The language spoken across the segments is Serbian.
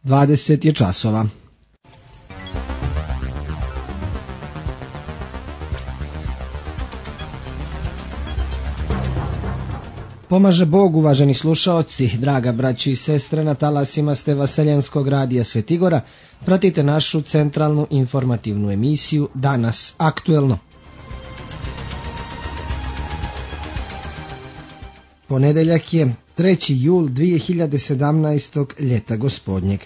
20 je časova. Pomaže Bog, uvaženi slušaoci, draga braći i sestre, na talasima ste Vaseljenskog radija Svetigora, pratite našu centralnu informativnu emisiju Danas aktuelno. Ponedeljak je 3. jul 2017. ljeta gospodnjeg.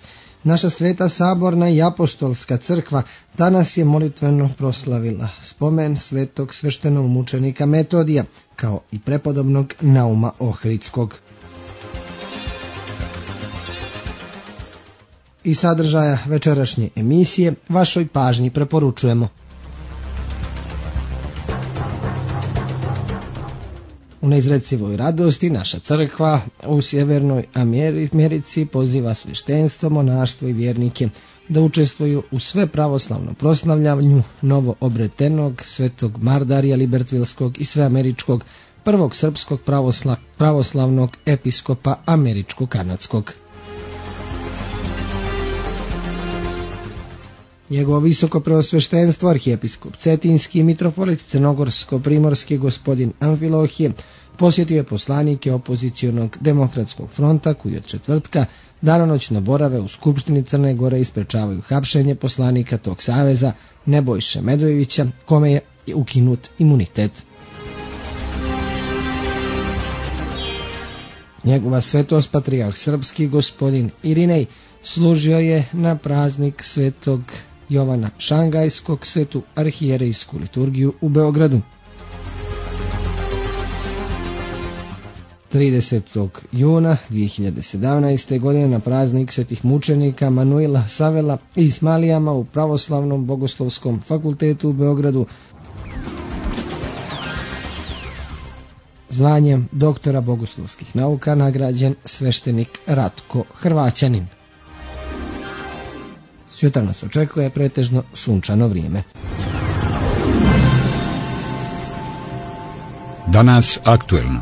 Naša sveta saborna i apostolska crkva danas je molitveno proslavila spomen svetog sveštenog mučenika Metodija, kao i prepodobnog Nauma Ohridskog. I sadržaja večerašnje emisije vašoj pažnji preporučujemo. U neizrecivoj radosti naša crkva u Sjevernoj Americi poziva sveštenstvo, monaštvo i vjernike da učestvuju u sve pravoslavno proslavljanju novo obretenog svetog Mardarija Libertvilskog i sveameričkog prvog srpskog pravoslavnog episkopa američko-kanadskog. Njegovo visoko preosveštenstvo arhijepiskop Cetinski i mitropolit Crnogorsko-primorski gospodin Amfilohije posjetio je poslanike opozicionog demokratskog fronta koji od četvrtka danonoćno borave u Skupštini Crne Gore i sprečavaju hapšenje poslanika tog saveza Nebojše Medojevića, kome je ukinut imunitet. Njegova svetost patrijarh srpski gospodin Irinej služio je na praznik svetog Jovana Šangajskog svetu arhijerejsku liturgiju u Beogradu. 30. juna 2017. godine na praznik svetih mučenika Manuila Savela i Ismalijama u Pravoslavnom bogoslovskom fakultetu u Beogradu zvanjem doktora bogoslovskih nauka nagrađen sveštenik Ratko Hrvaćanin. Sutra nas očekuje pretežno sunčano vrijeme. Danas aktuelno.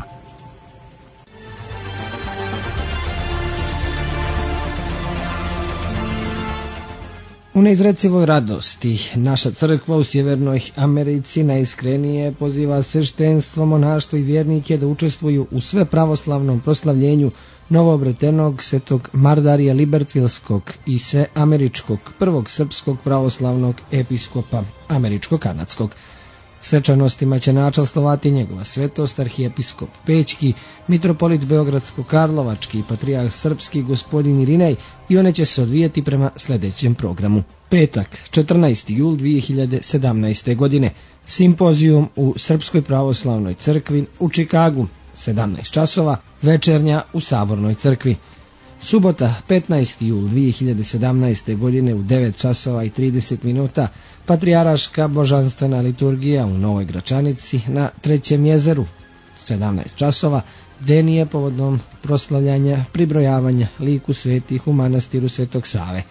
U neizrecivoj radosti naša crkva u Sjevernoj Americi najiskrenije poziva sveštenstvo, monaštvo i vjernike da učestvuju u sve pravoslavnom proslavljenju novoobretenog svetog Mardarija Libertvilskog i sveameričkog prvog srpskog pravoslavnog episkopa američko-kanadskog. Svečanostima će načastvovati njegova svetost arhijepiskop Pećki, mitropolit Beogradsko-Karlovački i patrijarh srpski gospodin Irinej i one će se odvijati prema sljedećem programu. Petak, 14. jul 2017. godine, simpozijum u Srpskoj pravoslavnoj crkvi u Čikagu, 17 časova, večernja u Sabornoj crkvi. Subota, 15. jul 2017. godine u 9 časova i 30 minuta, patrijaraška božanstvena liturgija u Novoj Gračanici na Trećem jezeru, 17 časova, denije povodom proslavljanja pribrojavanja liku svetih u manastiru Svetog Save.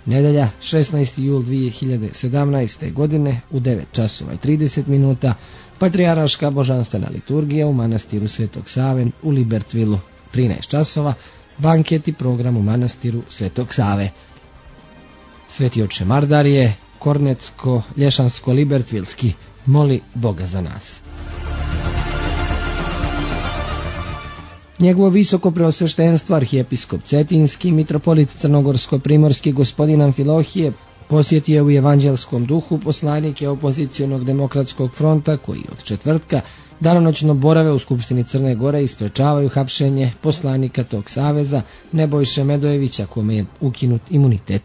Nedelja, 16. jul 2017. godine u 9 časova i 30 minuta, patrijaraška božanstvena liturgija u manastiru Svetog Save u Libertvilu, 13 časova, banket i program u manastiru Svetog Save. Sveti oče Mardarije, Kornetsko-Lješansko-Libertvilski, moli Boga za nas. Njegovo visoko preosveštenstvo arhijepiskop Cetinski, mitropolit Crnogorsko-primorski gospodin Amfilohije posjetio u evanđelskom duhu poslanike opozicionog demokratskog fronta koji od četvrtka danonoćno borave u Skupštini Crne Gore i sprečavaju hapšenje poslanika tog saveza Nebojše Medojevića, kome je ukinut imunitet.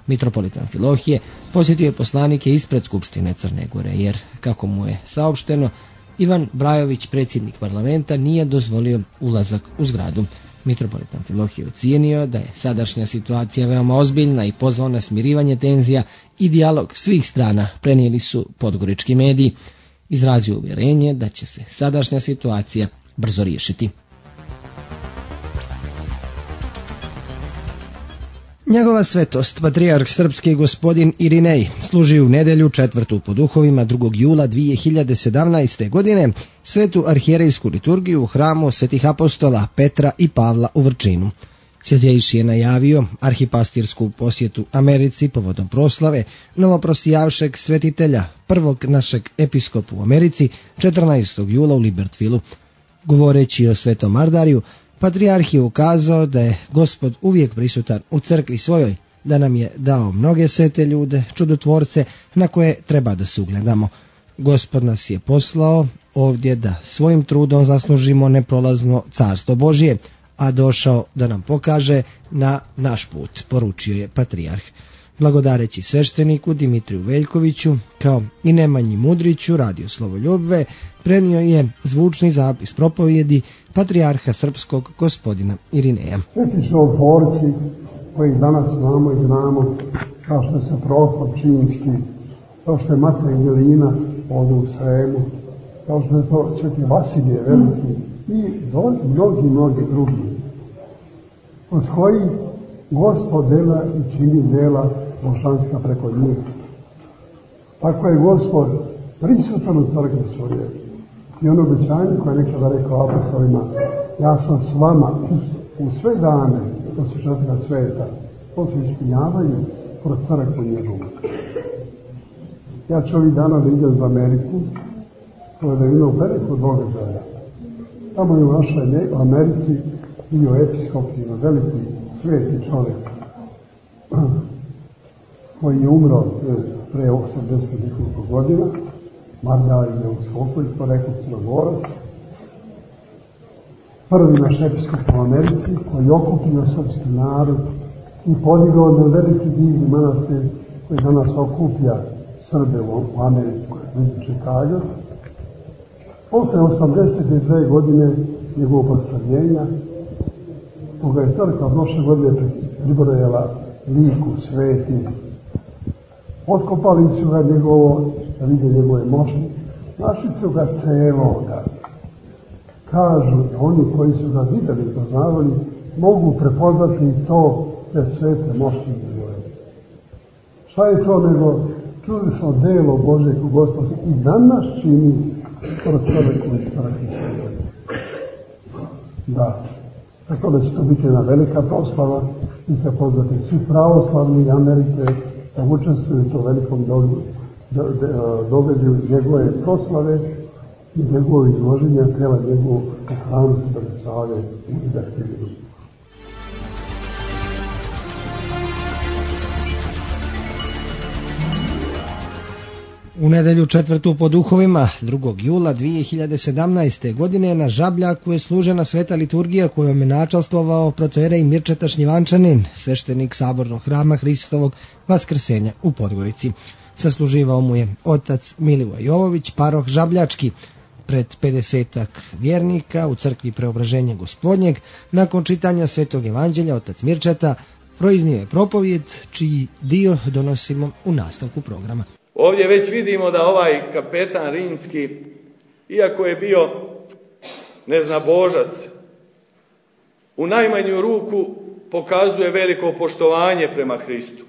Mitropolit Amfilohije posjetio je poslanike ispred Skupštine Crne Gore jer, kako mu je saopšteno, Ivan Brajović, predsjednik parlamenta, nije dozvolio ulazak u zgradu. Mitropolit Amfilohije ocijenio da je sadašnja situacija veoma ozbiljna i pozvao na smirivanje tenzija i dijalog svih strana, prenijeli su podgorički mediji. Izrazio uvjerenje da će se sadašnja situacija brzo riješiti. Njegova svetost, patrijarh srpski gospodin Irinej, služi u nedjelju 4. po duhovima 2. jula 2017. godine svetu arhijerejsku liturgiju u hramu svetih apostola Petra i Pavla u Vrčinu. Svjetejši je najavio arhipastirsku posjetu Americi povodom proslave novoprosijavšeg svetitelja, prvog našeg episkopa u Americi, 14. jula u Libertvilu. Govoreći o Svetom Mardariju, patrijarh je ukazao da je Gospod uvijek prisutan u crkvi svojoj, da nam je dao mnoge svete ljude, čudotvorce na koje treba da se ugledamo. Gospod nas je poslao ovdje da svojim trudom zaslužimo neprolazno carstvo Božje, a došao da nam pokaže na naš put, poručio je patrijarh. Blagodareći svešteniku Dimitriju Veljkoviću, kao i Nemanji Mudriću, radio Slovoljubve, prenio je zvučni zapis propovjedi patrijarha srpskog gospodina Irineja. Sveti čudotvorci koji danas znamo, kao što se Prohor Činski, kao što je Matej Milina ovdje u Sremu, kao što je to Sveti Vasilije Veliki i mnogi drugi, od kojih Gospod dela i čini dela božanska preko njih. Tako je Gospod prisutan u crkvi svoje. I ono obećanje koje je nekada rekao apostolima, ja sam s vama u sve dane do svečatoga sveta, to se ispunjavaju kroz crkvu njegovu. Ja ću ovih dana da idem za Ameriku, koja je imao veliko događaja. Tamo je u našoj Americi bio episkop, jedan veliki sveti čovjek, koji je umro pre 80 nekoliko godina, Mardarij je uskoko ispod rekao Crnogorac, prvi naš episkop u Americi, koji je okupio srpski narod i podigao na veliki divni manastir koji danas okuplja Srbe u Americi, blizu Čikaga. Posle 82 godine njegovog proslavljenja, koga je crkva prošle godine pribrojala liku sveti, otkopali su ga njegovo, da vide njegove moći, našli su ga celoga. Kažu, oni koji su ga videli i poznavali, mogu prepoznati i to te svete moći njegove. Šta je to nego čuli smo delo Božje u Gospodu i danas čini kroz čovjeku i praktično. Da, tako da će to biti jedna velika proslava i se pozvati svi pravoslavni Amerike da učestvuju u to velikom događaju njegove proslave i njegove izloženja tela njegovog u hramu Svete Save u Libertvilu. U nedelju 4. po duhovima, 2. jula 2017. godine, na Žabljaku je služena sveta liturgija kojom je načalstvovao protojerej Mirčeta Šljivančanin, sveštenik sabornog hrama Hristovog Vaskrsenja u Podgorici. Sasluživao mu je otac Milivoj Jovović, paroh Žabljački. Pred 50 vjernika u crkvi Preobraženja Gospodnjeg, nakon čitanja svetog evanđelja, otac Mirčeta proiznio je propovjed, čiji dio donosimo u nastavku programa. Ovdje već vidimo da ovaj kapetan rimski, iako je bio neznabožac, u najmanju ruku pokazuje veliko poštovanje prema Hristu.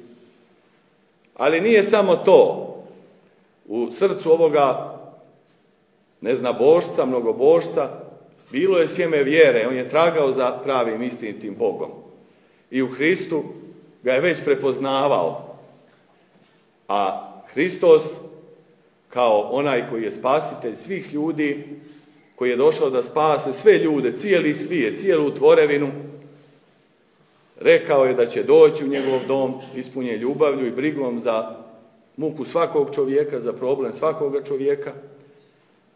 Ali nije samo to. U srcu ovoga neznabožca, mnogobožca, bilo je sjeme vjere. On je tragao za pravim istinitim Bogom. I u Hristu ga je već prepoznavao. A Hristos, kao onaj koji je spasitelj svih ljudi, koji je došao da spase sve ljude, cijeli svijet, cijelu tvorevinu, rekao je da će doći u njegov dom ispunjen ljubavlju i brigom za muku svakog čovjeka, za problem svakoga čovjeka.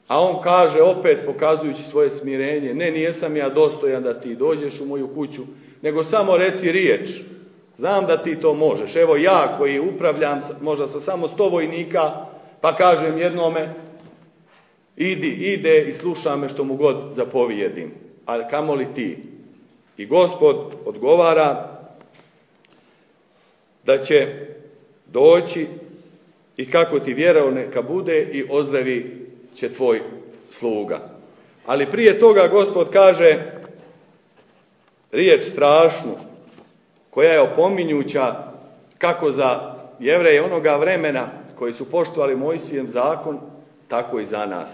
A on kaže, opet pokazujući svoje smirenje, ne, nijesam ja dostojan da ti dođeš u moju kuću, nego samo reci riječ. Znam da ti to možeš. Evo ja koji upravljam možda sa samo 100 vojnika, pa kažem jednome, ide i sluša me što mu god zapovijedim. Ali kamoli ti? I Gospod odgovara da će doći i kako ti vjerao neka bude i ozdravi će tvoj sluga. Ali prije toga Gospod kaže riječ strašnu, koja je opominjuća kako za Jevreje onoga vremena koji su poštovali Mojsijev zakon, tako i za nas.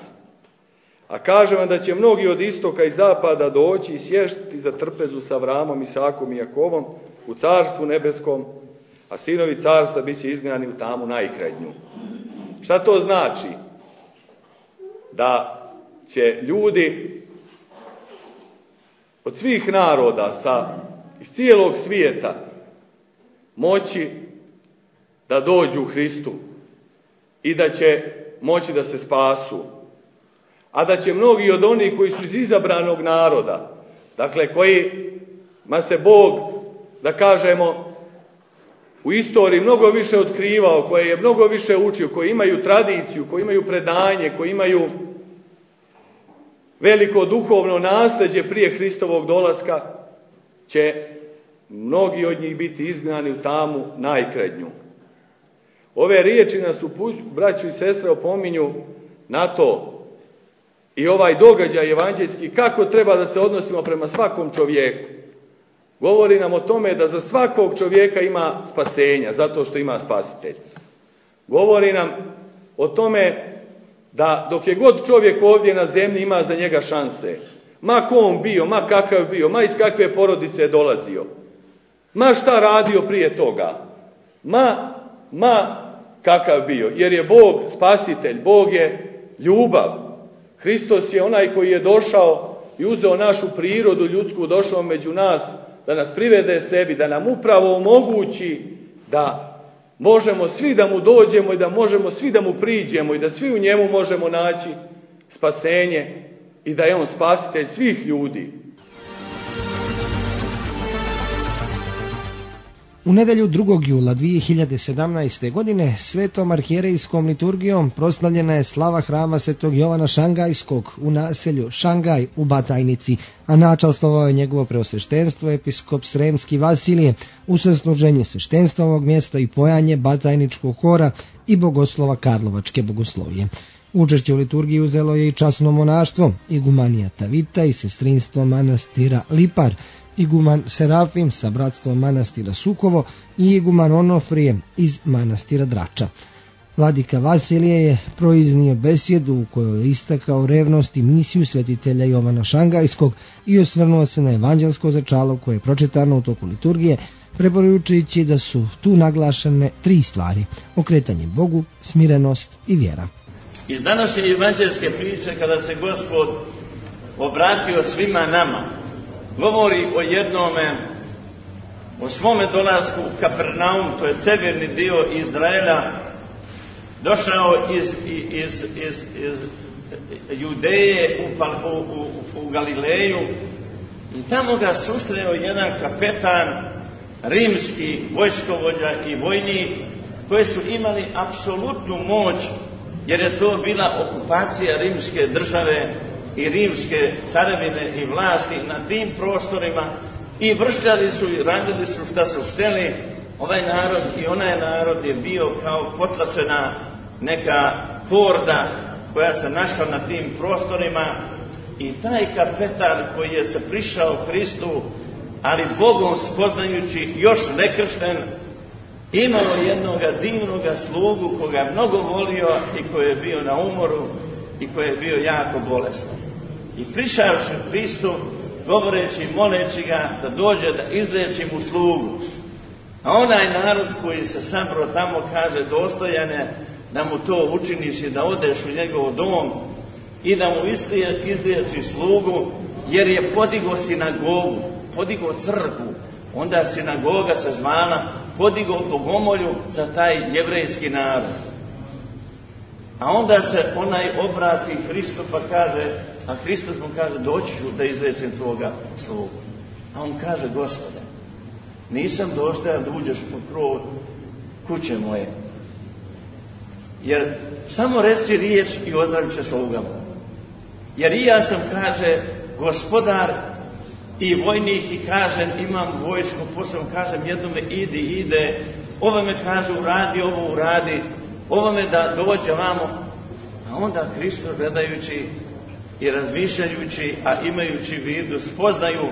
A kažem vam da će mnogi od istoka i zapada doći i sjesti za trpezu sa Avramom, Isakom i Jakovom u carstvu nebeskom, a sinovi carstva bit će izgnani u tamu najkrajnju. Šta to znači? Da će ljudi od svih naroda iz cijelog svijeta moći da dođu u Hristu i da će moći da se spasu. A da će mnogi od onih koji su iz izabranog naroda, dakle kojima se Bog, da kažemo, u istoriji mnogo više otkrivao, koje je mnogo više učio, koji imaju tradiciju, koji imaju predanje, koji imaju veliko duhovno nasljeđe prije Hristovog dolaska, će mnogi od njih biti izgnani u tamu najkrajnju. Ove riječi nas, braćo i sestre, opominju na to i ovaj događaj evanđeljski, kako treba da se odnosimo prema svakom čovjeku. Govori nam o tome da za svakog čovjeka ima spasenja, zato što ima spasitelj. Govori nam o tome da dok je god čovjek ovdje na zemlji ima za njega šanse. Ma ko on bio, ma kakav bio, ma iz kakve porodice je dolazio. Ma šta radio prije toga. Ma kakav bio. Jer je Bog spasitelj, Bog je ljubav. Hristos je onaj koji je došao i uzeo našu prirodu ljudsku, došao među nas da nas privede sebi, da nam upravo omogući da možemo svi da mu dođemo i da možemo svi da mu priđemo i da svi u njemu možemo naći spasenje i da je on spasitelj svih ljudi. U nedjelju 2. jula 2017. godine svetom arhijerejskom liturgijom proslavljena je slava hrama svetog Jovana Šangajskog u naselju Šangaj u Batajnici, a načastvovao je njegovo preosveštenstvo episkop Sremski Vasilije, usluženje sveštenstva ovog mjesta i pojanje Batajničkog hora i bogoslova Karlovačke bogoslovije. Učešće u liturgiji uzelo je i časno monaštvo, igumanija Tavita i sestrinstvo manastira Lipar, iguman Serafim sa bratstvom manastira Sukovo i iguman Onofrije iz manastira Drača. Vladika Vasilije je proiznio besjedu u kojoj je istakao revnost i misiju svetitelja Jovana Šangajskog i osvrnuo se na evanđelsko začalo koje je pročitano u toku liturgije, preporučujući da su tu naglašene 3 stvari: okretanje Bogu, smirenost i vjera. Iz današnje evanđelske priče, kada se Gospod obratio svima nama, govori o jednome, o svome dolasku u Kapernaum, to je severni dio Izraela, došao iz Judeje u Galileju i tamo ga susreo jedan kapetan, rimski vojskovođa i vojnik, koji su imali apsolutnu moć, jer je to bila okupacija rimske države i rimske carevine i vlasti na tim prostorima, i vršljali su i radili su šta su htjeli. Ovaj narod i onaj narod je bio kao potlačena neka horda koja se našla na tim prostorima, i taj kapetan koji je se prišao Hristu, ali Bogom spoznajući, još nekršten, imao jednoga divnoga slugu koga je mnogo volio i koji je bio na umoru i koji je bio jako bolestan. I prišavši Hristu, govoreći, moleći ga da dođe da izliječi mu slugu. A onaj narod koji se sabro tamo kaže, dostojane da mu to učiniš i da odeš u njegov dom i da mu izliječi slugu, jer je podigao sinagogu, podigao crkvu, onda sinagoga se zvala, podigao bogomolju za taj jevrejski narod. A onda se onaj obrati Hristu pa kaže, a Hristos mu kaže, doći ću da izliječim tvoga slugu. A on kaže, Gospode, nisam dostojan da uđeš pod krov kuće moje, jer samo reci riječ i ozdravit će sluga moja. Jer i ja sam, kaže, gospodar i vojnik i kažem, imam vojsku, posljedno kažem jednome ide, ovome kaže uradi, ovo uradi, ovome da dođe vamo. A onda Hristos, gledajući i razmišljajući, a imajući vidu spoznaju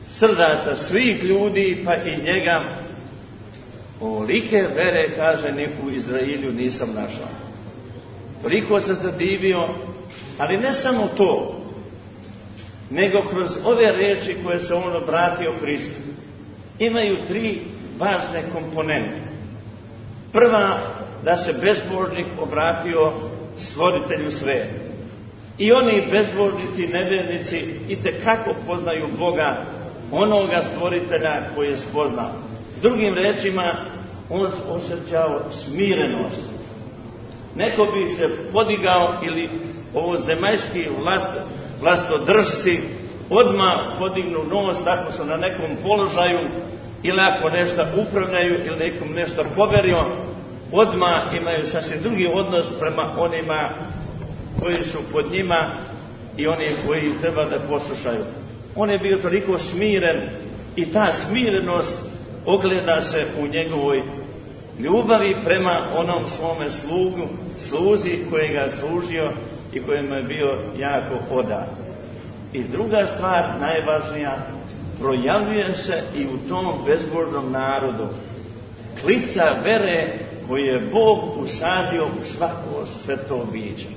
srdaca svih ljudi, pa i njega, ovolike vere, kaže, ni u Izraelju nisam našao. Toliko se zadivio Ali ne samo to, nego kroz ove riječi koje se on obratio Hristu, imaju 3 važne komponente. Prva, da se bezbožnik obratio stvoritelju sveta. I oni bezbožnici, nevjernici itekako poznaju Boga, onoga stvoritelja koji je spoznao. Drugim rečima, on osjećao smirenost. Neko bi se podigao ili ovo zemaljski vlastodržci odmah podignu nos ako su na nekom položaju ili ako nešto upravljaju ili nekom nešto poverio, odmah imaju sasvim drugi odnos prema onima koji su pod njima i oni koji treba da poslušaju. On je bio toliko smiren i ta smirenost ogleda se u njegovoj ljubavi prema onom svome sluzi kojega je služio i kojemu je bio jako odan. I druga stvar, najvažnija, projavljuje se i u tom bezbožnom narodu klica vere koju je Bog usadio u svako sveto biće.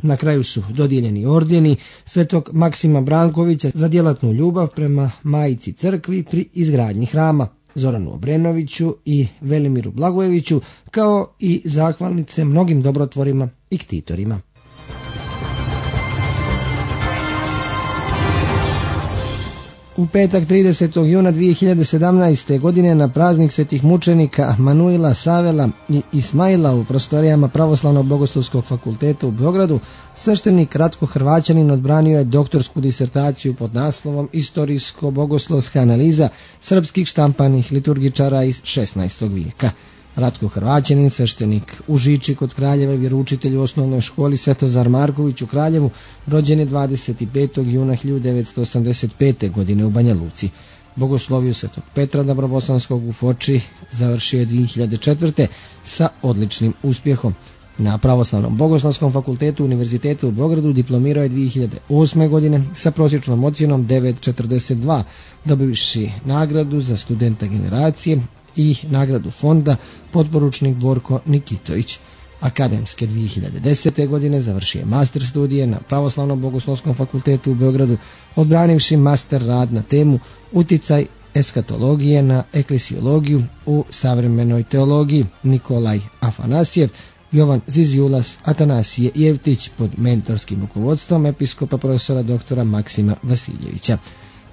Na kraju su dodijeljeni ordeni svetog Maksima Brankovića za djelatnu ljubav prema Majici crkvi pri izgradnji hrama, Zoranu Obrenoviću i Velimiru Blagojeviću, kao i zahvalnice mnogim dobrotvorima i ktitorima. U petak 30. juna 2017. godine na praznik svetih mučenika Manuila, Savela i Ismaila u prostorijama Pravoslavnog bogoslovskog fakulteta u Beogradu, sveštenik Ratko Hrvaćanin odbranio je doktorsku disertaciju pod naslovom Istorijsko-bogoslovska analiza srpskih štampanih liturgičara iz 16. vijeka. Ratko Hrvaćanin, sveštenik u Žiči kod Kraljeva i vjeroučitelj u osnovnoj školi Svetozar Marković u Kraljevu, rođen je 25. juna 1985. godine u Banja Luci. Bogosloviju Svetog Petra Dabrobosanskog u Foči završio je 2004. sa odličnim uspjehom. Na Pravoslavnom bogoslovskom fakultetu Univerziteta u Beogradu diplomirao je 2008. godine sa prosječnom ocjenom 9,42, dobivši nagradu za studenta generacije i nagradu fonda potporučnik Borko Nikitović. Akademske 2010. godine završio je master studije na Pravoslavnom bogoslovskom fakultetu u Beogradu, odbranivši master rad na temu Uticaj eskatologije na eklesiologiju u savremenoj teologiji Nikolaj Afanasjev, Jovan Zizjulas, Atanasije Jevtić pod mentorskim rukovodstvom episkopa profesora doktora Maksima Vasiljevića.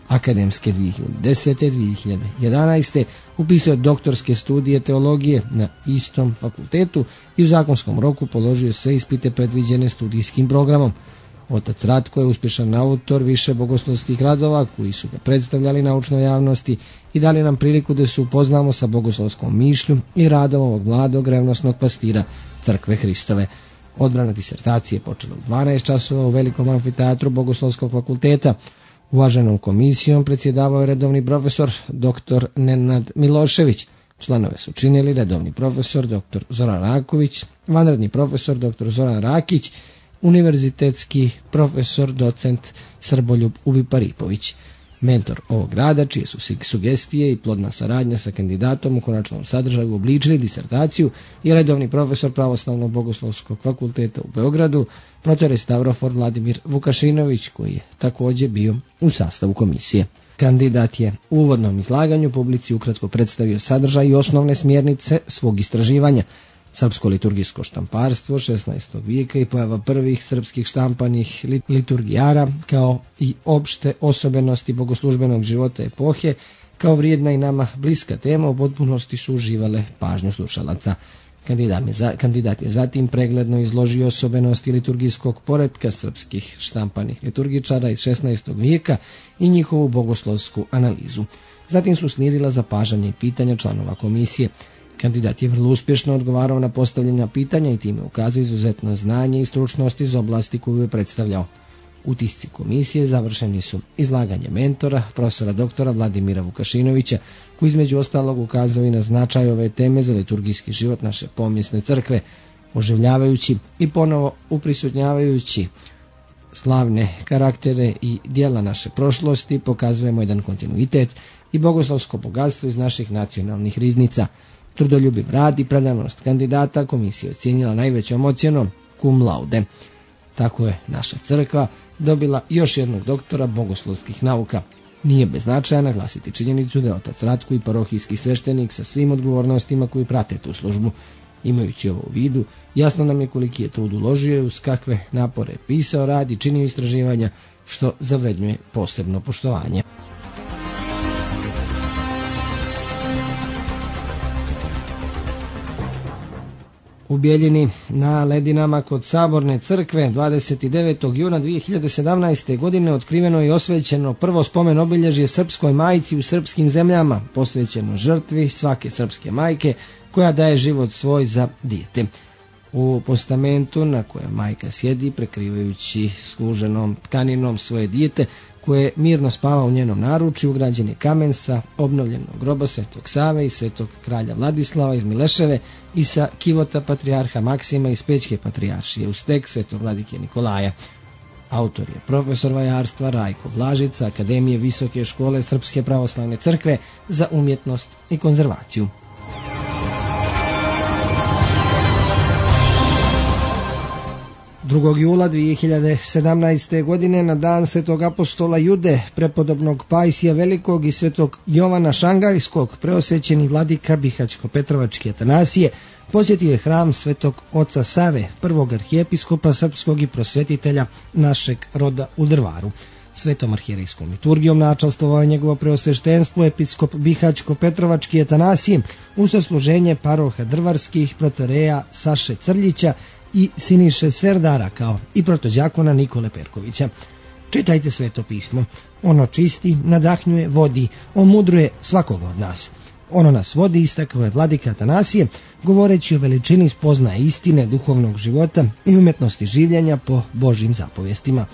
Akademske 2010. 2011. upisao doktorske studije teologije na istom fakultetu i u zakonskom roku položio sve ispite predviđene studijskim programom. Otac Ratko je uspješan autor više bogoslovskih radova koji su ga predstavljali naučnoj javnosti i dali nam priliku da se upoznamo sa bogoslovskom mišlju i radom ovog mladog revnosnog pastira Crkve Hristove. Odbrana disertacije je počela u 12 časova u velikom amfiteatru Bogoslovskog fakulteta. Uvaženom komisijom predsjedavao je redovni profesor dr. Nenad Milošević. Članove su činili redovni profesor dr. Zoran Raković, vanredni profesor dr. Zoran Rakić, univerzitetski profesor docent Srboljub Ubiparipović. Mentor ovog rada, čije su sugestije i plodna saradnja sa kandidatom u konačnom sadržaju obličili disertaciju, je redovni profesor Pravoslavnog bogoslovskog fakulteta u Beogradu, protorestaurafor Vladimir Vukašinović, koji je također bio u sastavu komisije. Kandidat je u uvodnom izlaganju publici ukratko predstavio sadržaj i osnovne smjernice svog istraživanja. Srpsko liturgijsko štamparstvo 16. vijeka i pojava prvih srpskih štampanih liturgijara, kao i opšte osobenosti bogoslužbenog života epohe, kao vrijedna i nama bliska tema, u potpunosti su uživale pažnju slušalaca. Kandidat je zatim pregledno izložio osobenosti liturgijskog poretka srpskih štampanih liturgičara iz 16. vijeka i njihovu bogoslovsku analizu. Zatim su slijedila zapažanja i pitanja članova komisije. Kandidat je vrlo uspješno odgovarao na postavljena pitanja i time ukazao izuzetno znanje i stručnost iz oblasti koju je predstavljao. Utisci komisije završeni su izlaganje mentora, profesora doktora Vladimira Vukašinovića, koji između ostalog ukazao i na značaj ove teme za liturgijski život naše pomjesne crkve, oživljavajući i ponovo uprisutnjavajući slavne karaktere i dijela naše prošlosti, pokazujemo jedan kontinuitet i bogoslovsko bogatstvo iz naših nacionalnih riznica. Trudoljubiv rad i predanost kandidata komisija ocjenjila najvećom ocjenom cum laude. Tako je naša crkva dobila još jednog doktora bogoslovskih nauka. Nije bez značaja naglasiti činjenicu da je otac Ratko i parohijski sveštenik sa svim odgovornostima koji prate tu službu. Imajući ovo u vidu, jasno nam je koliki je trud uložio i uz kakve napore pisao, radi, činio istraživanja, što zavrednjuje posebno poštovanje. U Bjeljini na ledinama kod Saborne crkve 29. juna 2017. godine otkriveno i osvećeno prvo spomen obilježje srpskoj majci u srpskim zemljama, posvećeno žrtvi svake srpske majke koja daje život svoj za dijete. U postamentu na kojem majka sjedi prekrivajući služenom tkaninom svoje dijete koje mirno spava u njenom naručju, ugrađen je kamen sa obnovljenog groba Svetog Save i Svetog kralja Vladislava iz Mileševe i sa kivota patrijarha Maksima iz Pećke patrijaršije uz tek Svetog vladike Nikolaja. Autor je profesor vajarstva Rajko Blažica, Akademije Visoke škole Srpske pravoslavne crkve za umjetnost i konzervaciju. Jula 2017. godine na dan Svetog apostola Jude, prepodobnog Pajsija Velikog i Svetog Jovana Šangajskog, preosvećeni vladika Bihaćko-Petrovački Atanasije, posjetio je hram Svetog oca Save, prvog arhijepiskopa srpskog i prosvetitelja našeg roda u Drvaru. Svetom arhijerejskom liturgijom načastvovao je njegovo preosveštenstvo episkop Bihaćko-Petrovački Atanasije u sasluženje paroha drvarskih protoreja Saše Crljića i Siniše Serdara, kao i protođakona Nikole Perkovića. Čitajte Sveto pismo. Ono čisti, nadahnjuje, vodi, omudruje svakoga od nas. Ono nas vodi, istakao je vladika Atanasije, govoreći o veličini spoznaje istine, duhovnog života i umjetnosti življenja po Božjim zapovjestima.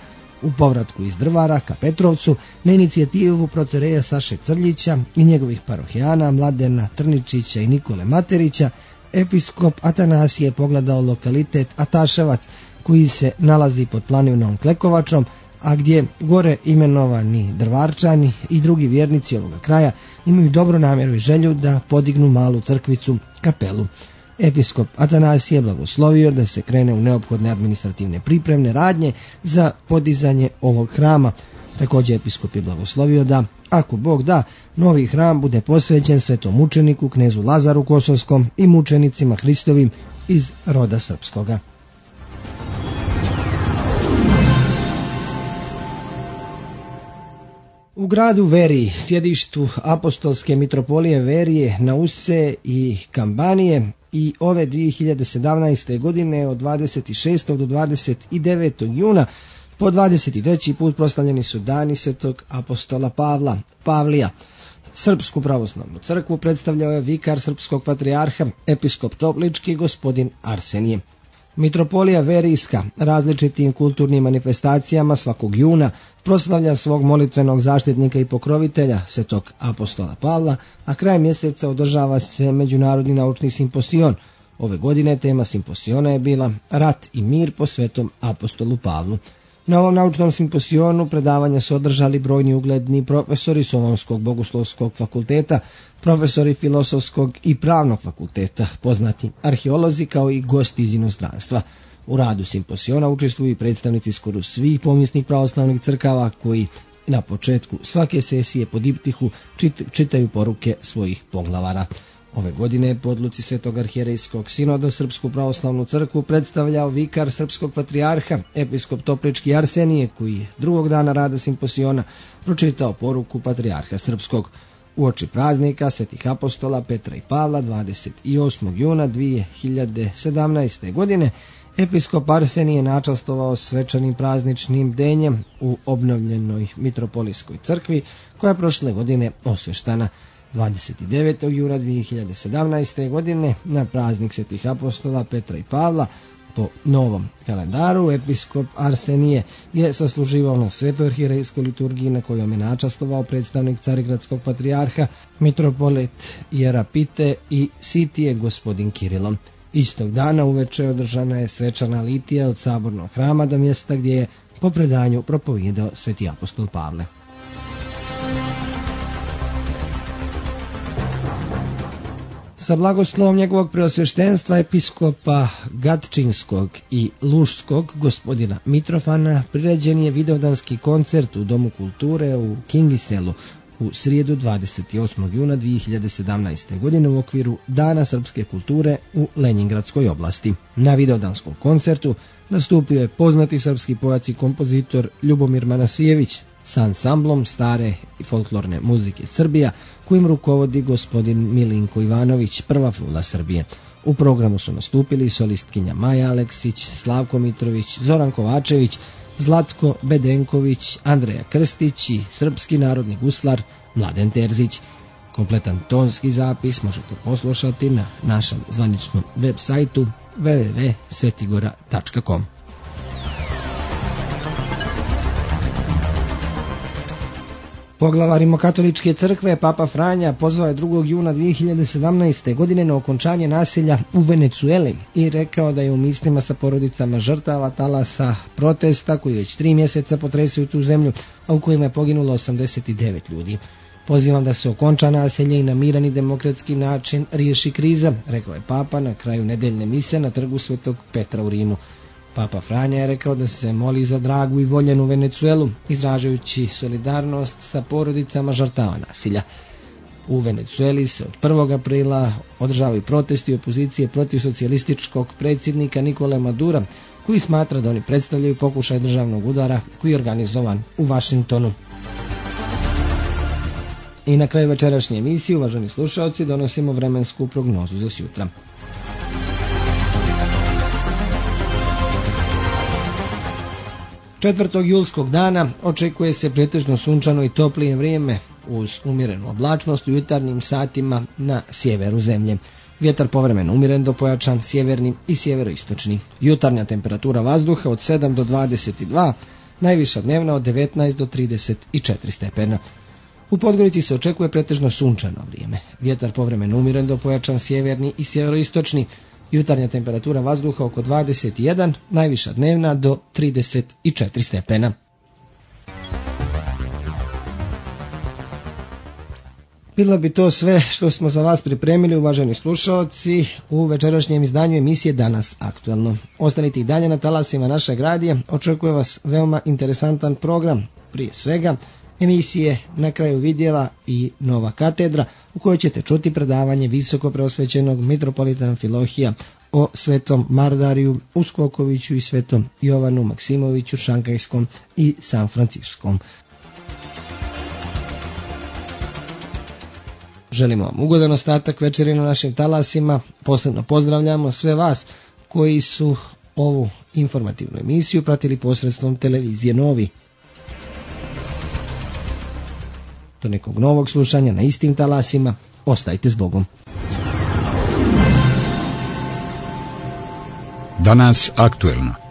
U povratku iz Drvara ka Petrovcu, na inicijativu protoreja Saše Crljića i njegovih parohijana Mladena Trničića i Nikole Materića, episkop Atanasije pogledao lokalitet Ataševac, koji se nalazi pod planinom Klekovačom, a gdje gore imenovani Drvarčani i drugi vjernici ovoga kraja imaju dobru namjeru i želju da podignu malu crkvicu, kapelu. Episkop Atanasije blagoslovio da se krene u neophodne administrativne pripremne radnje za podizanje ovog hrama. Također episkop je blagoslovio da, ako Bog da, novi hram bude posvećen svetom mučeniku, knezu Lazaru Kosovskom i mučenicima Hristovim iz roda srpskoga. U gradu Veriji, sjedištu apostolske mitropolije Verije, Nause i Kambanije, i ove 2017. godine od 26. do 29. juna po 23. put proslavljeni su dani Svetog apostola Pavlija. Srpsku pravoslavnu crkvu predstavljao je vikar srpskog patrijarha, episkop Toplički, gospodin Arsenije. Mitropolija Verijska različitim kulturnim manifestacijama svakog juna proslavlja svog molitvenog zaštitnika i pokrovitelja, Svetog apostola Pavla, a kraj mjeseca održava se Međunarodni naučni simposion. Ove godine tema simposiona je bila Rat i mir po Svetom apostolu Pavlu. Na ovom naučnom simposionu predavanja su održali brojni ugledni profesori Solonskog bogoslovskog fakulteta, profesori filosofskog i pravnog fakulteta, poznati arheolozi kao i gosti iz inostranstva. U radu simposiona učestvuju i predstavnici skoro svih povijesnih pravoslavnih crkava koji na početku svake sesije po diptihu čitaju poruke svojih poglavara. Ove godine po odluci Svetog arhijerejskog sinoda Srpsku pravoslavnu crkvu predstavljao vikar srpskog patrijarha, episkop Toplički Arsenije, koji je drugog dana rada simposiona pročitao poruku patrijarha srpskog. Uoči praznika Svetih apostola Petra i Pavla 28. juna 2017. godine episkop Arsenije načastvovao svečanim prazničnim denjem u obnovljenoj mitropolijskoj crkvi koja je prošle godine osveštana. 29. juna 2017. godine na praznik Svetih apostola Petra i Pavla po novom kalendaru episkop Arsenije je sasluživao na Svetoj arhijerejskoj liturgiji na kojom je načastvovao predstavnik Carigradskog patrijarha, mitropolit Jerapite i Sitije gospodin Kirilom. Istog dana uveče održana je svečana litija od Sabornog hrama do mjesta gdje je po predanju propovijedao Sveti apostol Pavle. Sa blagoslovom njegovog preosveštenstva episkopa Gatčinskog i Luškog gospodina Mitrofana priređen je vidovdanski koncert u Domu kulture u Kingiselu u srijedu 28. juna 2017. godine u okviru Dana srpske kulture u Lenjingradskoj oblasti. Na vidovdanskom koncertu nastupio je poznati srpski pojac i kompozitor Ljubomir Manasijević sa ansamblom stare i folklorne muzike Srbija, kojim rukovodi gospodin Milinko Ivanović, prva frula Srbije. U programu su nastupili solistkinja Maja Aleksić, Slavko Mitrović, Zoran Kovačević, Zlatko Bedenković, Andreja Krstić i srpski narodni guslar Mladen Terzić. Kompletan tonski zapis možete poslušati na našem zvaničnom web sajtu www.svetigora.com. Poglavar Rimokatoličke crkve Papa Franja pozvao je 2. juna 2017. godine na okončanje nasilja u Venecueli i rekao da je u mislima sa porodicama žrtava talasa protesta koji već 3 mjeseca potresaju tu zemlju, a u kojima je poginulo 89 ljudi. Pozivam da se okonča nasilje i na miran i demokratski način riješi kriza, rekao je Papa na kraju nedeljne mise na trgu Svetog Petra u Rimu. Papa Franja je rekao da se moli za dragu i voljenu Venecuelu, izražajući solidarnost sa porodicama žrtava nasilja. U Venecueli se od 1. aprila održavaju protesti opozicije protiv socijalističkog predsjednika Nikole Madura, koji smatra da oni predstavljaju pokušaj državnog udara koji je organizovan u Vašingtonu. I na kraju večerašnje emisije, uvaženi slušalci, donosimo vremensku prognozu za sutra. 4. julskog dana očekuje se pretežno sunčano i toplije vrijeme uz umjerenu oblačnost u jutarnjim satima na sjeveru zemlje. Vjetar povremeno umjeren do pojačan sjeverni i sjeveroistočni. Jutarnja temperatura vazduha od 7 do 22, najviša dnevna od 19 do 34 stepena. U Podgorici se očekuje pretežno sunčano vrijeme. Vjetar povremeno umjeren do pojačan sjeverni i sjeveroistočni. Jutarnja temperatura vazduha oko 21, najviša dnevna do 34 stepena. Bilo bi to sve što smo za vas pripremili, uvaženi slušalci, u večerašnjem izdanju emisije Danas aktualno. Ostanite i dalje na talasima našeg radija, očekuje vas veoma interesantan program, prije svega emisije Na kraju vidjela i Nova katedra, u kojoj ćete čuti predavanje visoko preosvećenog mitropolita Amfilohija o svetom Mardariju Uskokoviću i svetom Jovanu Maksimoviću Šankajskom i San Franciskom. Želimo vam ugodan ostatak večeri na našim talasima. Posebno pozdravljamo sve vas koji su ovu informativnu emisiju pratili posredstvom televizije Novi. Do nekog novog slušanja na istim talasima, ostajte s Bogom. Danas aktuelno.